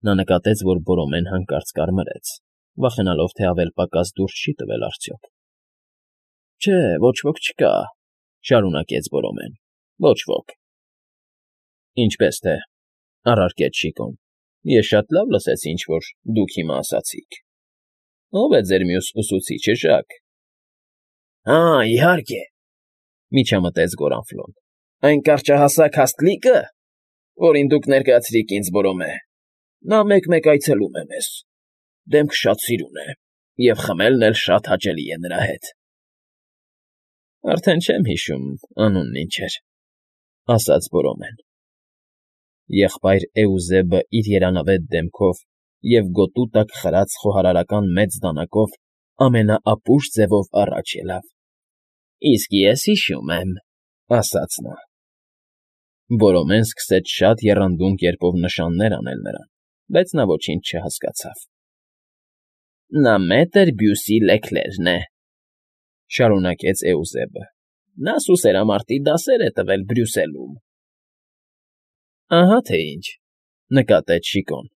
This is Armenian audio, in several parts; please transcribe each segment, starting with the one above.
Նա նկատեց, որ Բորոմեն հանկարծ կարմրեց, վախենալով, թե ավել պակաս դուրս չի տվել արդյոք։ ֊ Չէ, ոչ ոք չկա,֊ շարունակեց Բորոմեն,֊ ոչ ոք։ ֊ Ինչպե՞ս թե,֊ առարկեց Շիկոն։֊ Ես շատ լավ լսեցի, ինչ֊որ դուք հիմա ասացիք… Ո՞վ է ձեր մյուս ուսուցիչը, Ժակ։ ֊ Հա, իհարկե,֊ միջամտեց Գորանֆլոն,֊ այն կարճահասակ հաստլիկը, որին դուք ներկայացրիք ինձ, Բորոմե, նա մեկ֊մեկ այցելում է մեզ, դեմքը շատ սիրուն է, և խմելն էլ շատ հաճելի է նրա հետ։ ֊ Արդեն չեմ հիշում անունն ինչ էր,֊ ասաց Բորոմեն։ Եղբայր Էուզեբը իր երանավետ դեմքով և գոտու տակ խրած խոհարարական մեծ դանակով ամենաապուշ ձևով առաջ ելավ։ ֊ Իսկ ես հիշում եմ,֊ ասաց նա։ Բորոմեն սկսեց շատ եռանդուն կերպով նշաններ անել նրան, բայց նա ոչինչ չհասկացավ։ ֊ Նա մետր Բյուսի Լեքլերն է,֊ շարունակեց Էուզեբը,֊ նա սուսերամարտի դասեր է տվել Բրյուսելում։ ֊ Ահա թե ինչ,֊ նկատեց Շիկոն,֊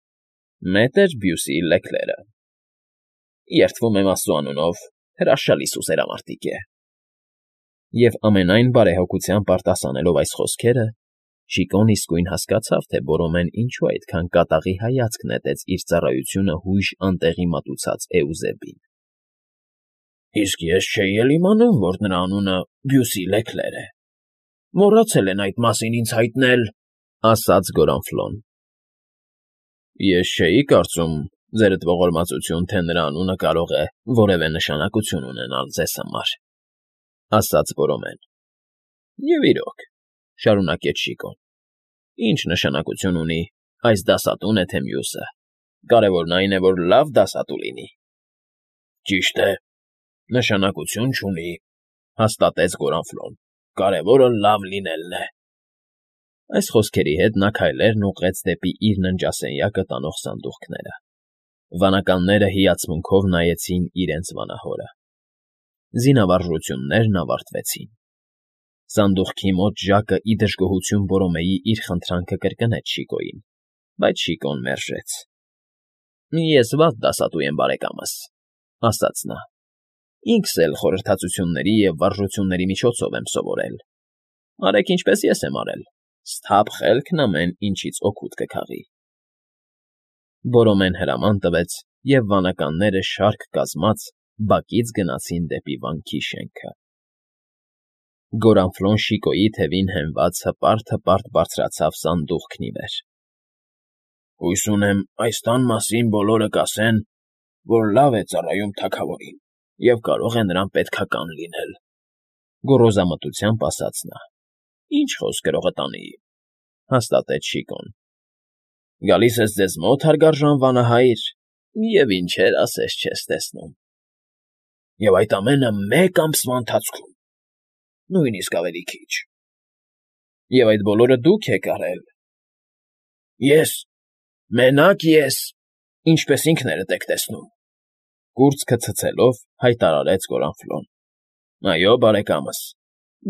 մետր Բյուսի Լեքլերը… Երդվում եմ աստծու անունով, հրաշալի սուսերամարտիկ է… Եվ ամենայն բարեհոգությամբ արտասանելով այս խոսքերը, Շիկոն իսկույն հասկացավ, թե Բորոմեն ինչու այդքան կատաղի հայացք նետեց իր ծառայությունը հույժ անտեղի մատուցած Էուզեբին։ ֊ Իսկ ես չէի էլ իմանում, որ նրա անունը Բյուսի Լեքլեր է… Մոռացել են այդ մասին ինձ հայտնել,֊ ասաց Գորանֆլոն։ ֊ Ես չէի կարծում, ձերդ ողորմածություն, թե նրա անունը կարող է որևէ նշանակություն ունենալ ձեզ համար,֊ ասաց Բորոմեն։ ֊ Եվ իրոք,֊ շարունակեց Շիկոն,֊ ինչ նշանակություն ունի այս դասատուն է, թե մյուսը, կարևորն այն է, որ լավ դասատու լինի։ ֊ Ճիշտ է, նշանակություն չունի,֊ հաստատեց Գորանֆլոն,֊ կարևորը լավ լինելն է։ Այս խոսքերի հետ նա քայլերն ուղղեց դեպի իր ննջասենյակը տանող սանդուղքները։ Վանականները հիացմունքով նայեցին իրենց վանահորը։ Զինավարժություններն ավարտվեցին։ Սանդուղքի մոտ Ժակը ի դժգոհություն Բորոմեի իր խնդրանքը կրկնեց Շիկոյին, բայց Շիկոն մերժեց։ ֊ Ես վատ դասատու եմ, բարեկամս,֊ ասաց նա։ Ինքս էլ խորհրդածությունների և վարժությունների միջոցով եմ սովորել։ Արեք ինչպես ես եմ արել, սթափ խելքն ամեն ինչից օգուտ կքաղի։ Բորոմեն հրաման տվեց, և վանականները շարք կազմած բակից գնացին դեպի վանքի շենքը։ Գորանֆլոն Շիկոյի թևին հենված հպարտ֊հպարտ բարձրացավ սանդուղքն ի վեր։ ֊ Հույս ունեմ, այս տան մասին բոլորը կասեն, որ լավ է ծառայում թագավորին և կարող է նրան պետքական լինել,֊ գոռոզամտությամբ ասաց նա։ ֊ Ինչ խոսք գրողը տանի,֊ հաստատեց Շիկոն։ ֊ Գալիս ես ձեզ մոտ, հարգարժան վանահայր, և ինչեր ասես չես տեսնում։ ֊ Եվ այդ ամենը մեկ ամսվա ընթացքում, նույնիսկ ավելի քիչ։ ֊ Եվ այդ բոլորը դուք եք արել։ ֊ Ես, մենակ ես, ինչպես ինքներդ եք տեսնում,֊ կուրծքը ցցելով հայտարարեց Գորանֆլոն։ ֊ Այո, բարեկամս,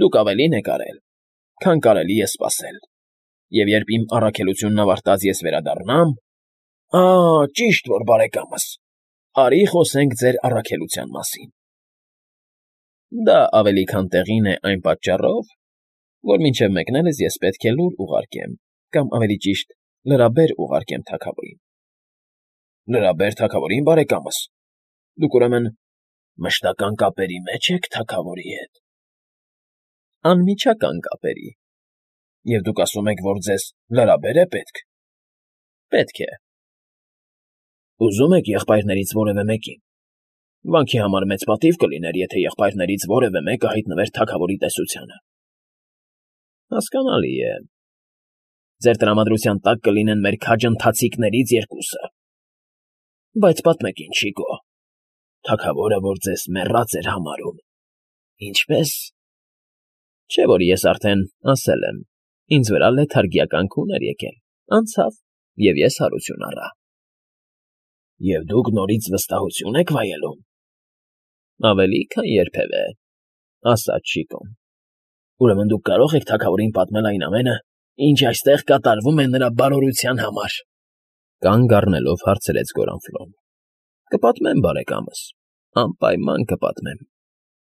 դուք ավելին եք արել, քան կարելի է սպասել, և երբ իմ առաքելությունն ավարտած ես վերադառնամ… ճիշտ որ, բարեկամս, արի խոսենք ձեր առաքելության մասին։ Դա ավելի քան տեղին է այն պատճառով, որ մինչև մեկնելս ես պետք է լուր ուղարկեմ կամ, ավելի ճիշտ, լրաբեր ուղարկեմ թագավորին։ ֊ Լրաբեր թագավորին, բարեկամս, դուք, ուրեմն, մշտական կապերի մեջ եք թագավորի հետ։ ֊ Անմիջական կապերի։ ֊ Եվ դուք ասում եք, որ ձեզ լրաբեր է պետք։ ֊ Պետք է։ ֊ Ուզում եք եղբայրներից որևէ մեկին։ Վանքի համար մեծ պատիվ կլիներ, եթե եղբայրներից որևէ մեկը հայտնվեր թագավորի տեսությանը։ ֊ Հասկանալի է։ Ձեր տրամադրության տակ կլինեն մեր քաջ ընթացիկներից երկուսը։ ֊ Բայց պատմեք ինձ, Շիկո, թագավորը, որ ձեզ մեռած էր համարում, ինչպե՞ս… Չէ՞ որ ես արդեն ասել եմ, ինձ վրա լեթարգիական քուն էր եկել, անցավ, և ես հարություն առա։ ֊ Եվ դուք նորից վստահություն եք վայելում։ ֊ Ավելի, քան երբևէ, ասաց Շիկոն։ ֊ Ուրեմն դուք կարող եք թագավորին պատմել այն ամենը, ինչ այստեղ կատարվում է նրա բարօրության համար։ Կանգ առնելով հարցրեց Գորանֆլոն։ Կպատմեմ, բարեկամս, անպայման կպատմեմ,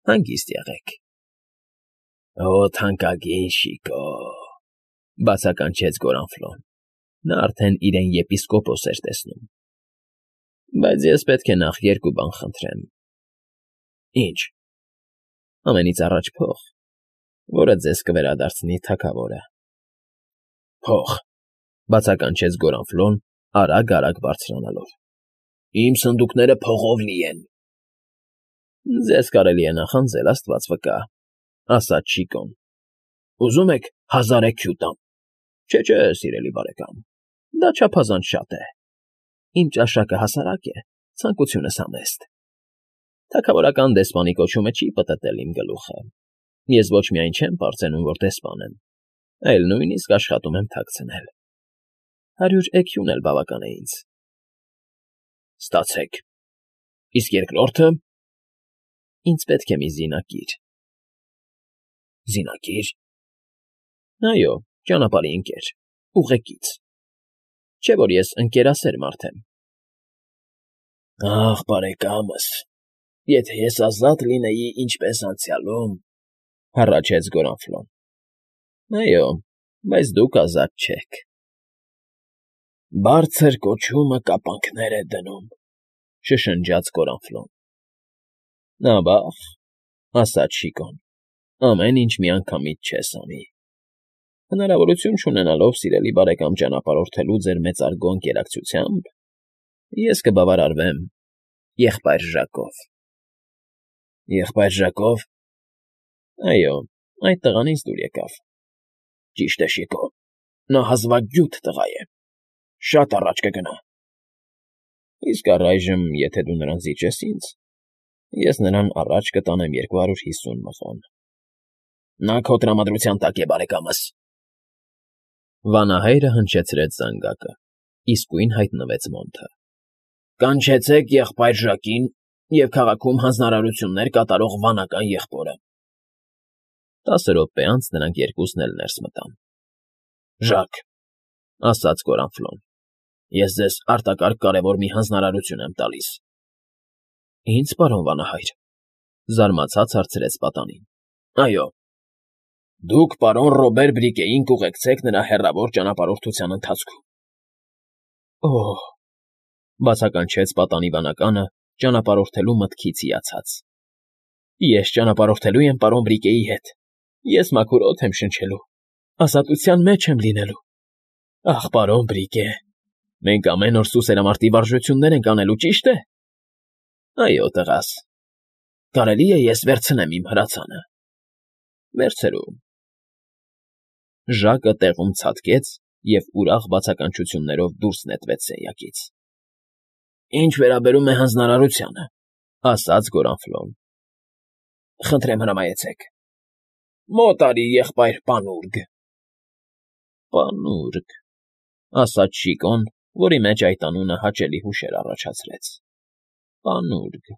հանգիստ եղեք։ Օ, թանկագին Շիկո, բացականչեց Գորանֆլոն, նա արդեն իրեն եպիսկոպոս էր տեսնում։ Բայց ես պետք է նախ երկու բան խնդրեմ։ Ինչ։ Ամենից առաջ փող, որը ձեզ կվերադարձնի թագավորը։ Փող, բացականչեց Գորանֆլոն, արագ բարձրանալով։ Իմ սնդուկները փողով լի են։ Ձեզ կարելի է նախանձել, աստված վկա, ասաց Շիկոն։ Ուզում եք 1000 էքյու տամ։ Չէ, սիրելի բարեկամ, դա չափազանց շատ է։ Իմ ճաշակը հասարակ է, ցանկությունս համեստ։ Թագավորական դեսպանի կոչումը չի պտտել իմ գլուխը։ Ես ոչ միայն չեմ պարծենում, որ դեսպան եմ, այլ նույնիսկ աշխատում եմ թաքցնել։ 100 էքյուն էլ բավական է ինձ։ Ստացեք։ Իսկ երկրորդը։ Ինձ պետք է մի զինակիր։ Զինակիր։ Այո, ճանապարհի ընկեր, ուղեկից։ Չէ՞ որ ես ընկերասեր մարդ եմ։ Ախ, բարեկամս, եթե ես ազատ լինեի ինչպես անցյալում, հառաչեց Գորանֆլոն։ Այո, բայց դուք ազատ չեք։ Բարձր կոչումը կապանքներ է դնում, շշնջաց Գորանֆլոն։ Նավաղ, ասաց Շիկոն, ամեն ինչ միանգամից չես անի։ Հնարավորություն չունենալով սիրելի բարեկամ ճանապարհորդելու ձեր մեծարգո ընկերակցությամբ, ես կբավարարվեմ եղբայր Ժակով։ Եղբայր Ժակով։ Այո, այդ տղան ինձ դուր եկավ։ Ճիշտ է, Շիկո, նա հազվագյուտ տղա է, շատ առաջ կգնա։ Իսկ առայժմ, եթե դու նրան զիջես ինձ, ես նրան առաջ կտանեմ 250 մղոն։ Նա քո տրամադրության տակ է, բարեկամս։ Վանահայրը հնչեցրեց զանգակը, իսկույն հայտնվեց Մոնթը։ Կանչեցեք եղբայր Ժակին և քաղաքում հանձնարարություններ կատարող վանական եղբորը։ 10 րոպե անց նրանք երկուսն էլ ներս մտան։ Ժակ, ասաց Գորանֆլոն, ես ձեզ արտակարգ կարևոր մի հանձնարարություն եմ տալիս։ Ինձ, պարոն վանահայր, զարմացած հարցրեց պատանին։ Այո։ Դուք պարոն Ռոբեր Բրիկեին կուղեկցեք նրա հեռավոր ճանապարհորդության ընթացքում։ Օհ, բացականչեց պատանի վանականը ճանապարհորդելու մտքից հիացած։ Ես ճանապարհորդելու եմ պարոն Բրիկեի հետ։ Ես մաքուր օդ եմ շնչելու, ազատության մեջ եմ լինելու։ Ախ, պարոն Բրիկե, մենք ամեն օր սուսերամարտի վարժություններ ենք անելու, ճիշտ է։ Այո, տղաս։ Կարելի է ես վերցնեմ իմ հրացանը։ Վերցրու։ Ժակը տեղում ցատկեց և ուրախ բացականչություններով դուրս նետվեց սենյակից։ Ինչ վերաբերում է հանձնարարությանը, ասաց Գորանֆլոն։ Խնդրեմ հրամայեցեք։ Մոտ արի, եղբայր Պանուրգ։ Պանուրգ, ասաց Շիկոն, որի մեջ այդ անունը հաճելի հուշեր առաջացրեց։ Պանուրգ։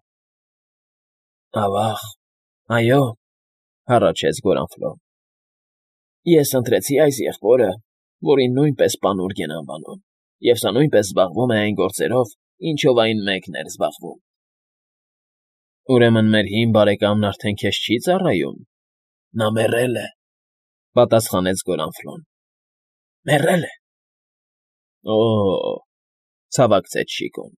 Ավաղ, այո, հառաչեց Գորանֆլոն։ Ես ընտրեցի այս եղբորը, որին նույնպես Պանուրգ են անվանում, և սա նույնպես զբաղվում է այն գործերով, ինչով այն մեկն էր զբաղվում։ Ուրեմն մեր հին բարեկամն արդեն քեզ չի ծառայում։ Նա մեռել է, պատասխանեց Գորանֆլոն։ Մեռել է։ Օ, ցավակցեց Շիկոն։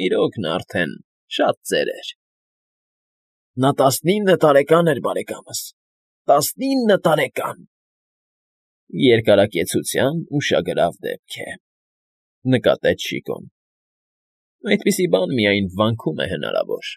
Իրոք նա արդեն շատ ծեր էր։ Նա 19 տարեկան էր, բարեկամս, 19 տարեկան։ Երկարակեցության ուշագրավ դեպք է, նկատեց Շիկոն։ Այդպիսի բան միայն վանքում է հնարավոր։